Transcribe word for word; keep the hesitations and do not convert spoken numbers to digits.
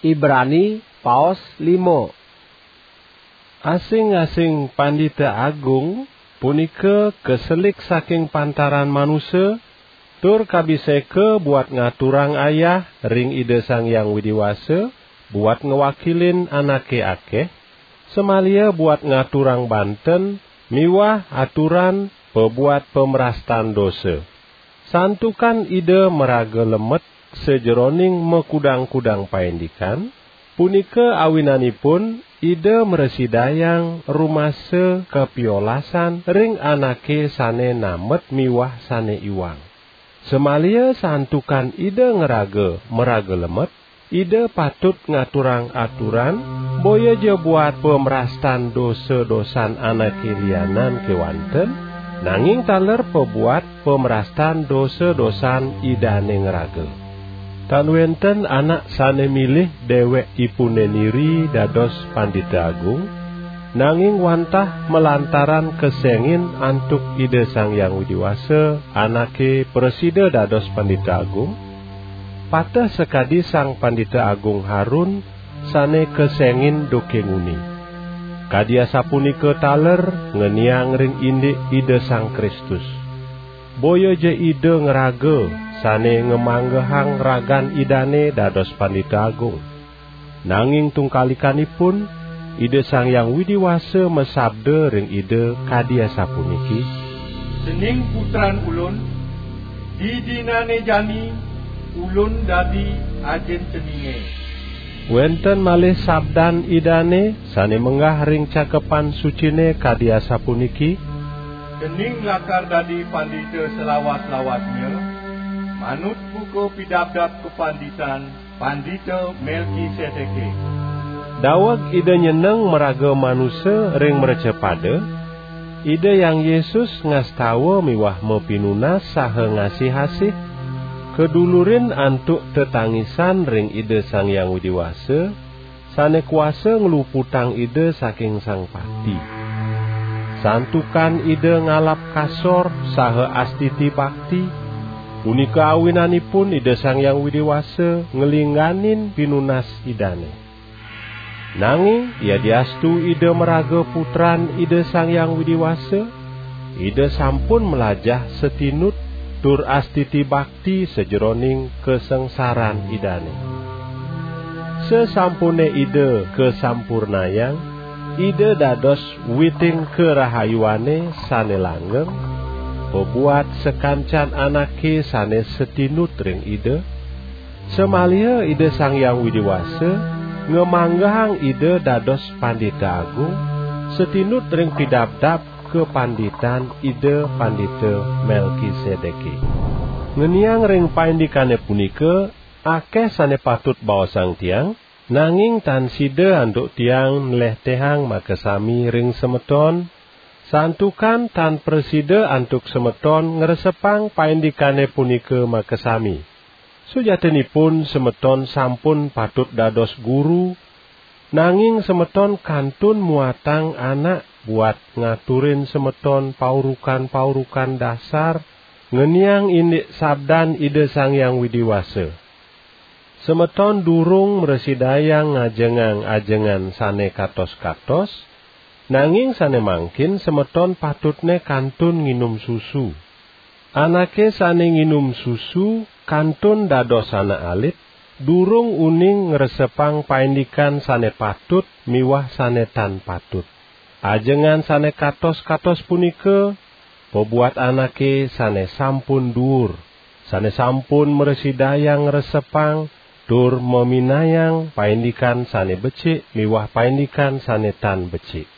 Ibrani, paos lima. Asing-asing pandita agung punika kaselik saking pantaran manusa, tur kabiseka buat ngaturang ayah ring Ida Sang Hyang Widi Wasa, buat ngwakilin anake akeh, samalia buat ngaturang banten miwah aturan pabuat pamrastan dosa. Santukan Ida maraga lemet sajeroning makudang-kudang paindikan, punika awinanipun Ida mrasidayang rumasa kapiolasan ring anake sane namet miwah sane iwang. Samalia santukan Ida ngraga maraga lemet, Ida patut ngaturang aturan, boya ja buat pamrastan dosa-dosan anake lianan kewanten, nanging taler pabuat pamrastan dosa-dosan Idane ngraga. Tan wenten anak sane milih dewekipune niri dados Pandita Agung, nanging wantah malantaran kesengin antuk Ida Sang Hyang Widi Wasa, anake prasida dados Pandita Agung, pateh sakadi Sang Pandita Agung Harun sane kesengin duke nguni. Kadi asapunika taler ngeniang ring indik Ida Sang Kristus. Boya ja Ida ngraga sane ngamanggehang ragan Idane dados Pandita Agung. Nanging tungkalikanipun, Ida Sang Hyang Widi Wasa masabda ring Ida kadi asapuniki, "Cening putran Ulun, didinane jani Ulun dadi Ajin ceninge." Wenten malih sabdan Idane sane menggah ring Cakepan Sucine kadi asapuniki, "Cening lakar dadi pandita salawat-lawatnya, manut buka pidabdab kapanditan Pandita Melkisedeke." Daweg Ida nyeneng maraga manusa ring mrecapada, Ida Hyang Yesus ngastawa miwah mapinunas saha ngasih-asih, kadulurin antuk tetangisan ring Ida Sang Hyang Widi Wasa, sane kuasa ngluputang Ida saking Sang Pati. Santukan Ida ngalap kasor saha astiti bakti, punika awinanipun Ida Sang Hyang Widi Wasa nglingganin pinunas Idane. Nanging yadiastu Ida maraga putran Ida Sang Hyang Widi Wasa, Ida sampun mlajah satinut tur astiti bakti sajeroning kasangsaran Idane. Sasampune Ida kasampurnayang, Ida dados witing karahayuane sane langgeng, pabuat sakancan anake sane satinut ring Ida, samaliha Ida Sang Hyang Widi Wasa ngamanggehang Ida dados Pandita Agung, satinut ring pidabdab kapanditan Ida Pandita Melkisedeke. Ngeniang ring paindikane punika, akeh sane patut baosang tiang, nanging tan sida antuk tiang nlehtehang makasami ring semeton, santukan tan prasida antuk semeton ngresepang paindikane punika makasami. Sujatinipun semeton sampun patut dados guru, nanging semeton kantun muatang anak buat ngaturin semeton paurukan-paurukan dasar, ngeniang indik sabdan Ida Sang Hyang Widi Wasa. Semeton durung mrasidayang ngajengang ajengan sane katos-katos, nanging sane mangkin semeton patutne kantun nginum susu. Anake sane nginum susu kantun dados anak alit, durung uning ngresepang paindikan sane patut miwah sane tan patut. Ajengan sane katos-katos punika pabuat anake sane sampun duur, sane sampun mrasidayang ngresepang tur maminayang paindikan sane becik miwah paindikan sane tan becik.